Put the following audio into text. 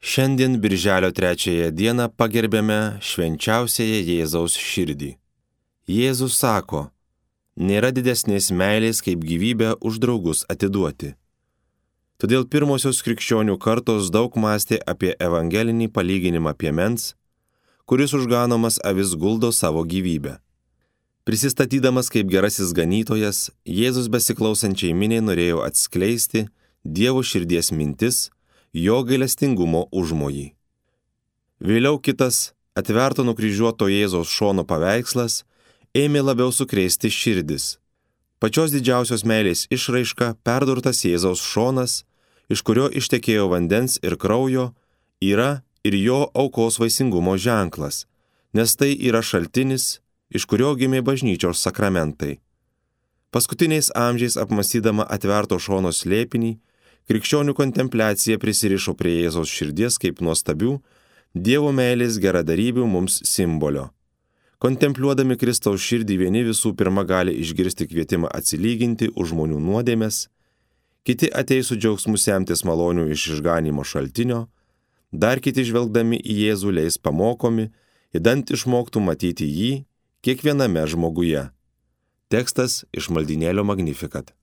Šiandien birželio 3 dieną pagerbėme švenčiausiąją Jėzaus širdį. Jėzus sako, nėra didesnės meilės kaip gyvybę už draugus atiduoti. Todėl pirmosios krikščionių kartos daug mąstė apie evangelinį palyginimą piemens, kuris užganomas avis guldo savo gyvybę. Prisistatydamas kaip gerasis ganytojas, Jėzus besiklausančiai miniai norėjo atskleisti Dievo širdies mintis, jo gailestingumo užmojį. Vėliau kitas atverto nukryžiuoto Jėzaus šono paveikslas ėmė labiau sukrėsti širdis. Pačios didžiausios meilės išraiška perdurtas Jėzaus šonas, iš kurio ištekėjo vandens ir kraujo, yra ir jo aukos vaisingumo ženklas, nes tai yra šaltinis, iš kurio gimė bažnyčios sakramentai. Paskutiniais amžiais apmąstydama atverto šono slėpinį, krikščionių kontempliacija prisirišo prie Jėzaus širdies kaip nuostabių Dievo meilės geradarybių mums simbolio. Kontempliuodami Kristaus širdį vieni visų pirma gali išgirsti kvietimą atsilyginti už žmonių nuodėmes, kiti ateis su džiaugsmu semtis malonių iš išganymo šaltinio, dar kiti žvelgdami į Jėzų leis pamokomi, idant išmoktų matyti jį kiekviename žmoguje. Tekstas iš maldynėlio Magnificat.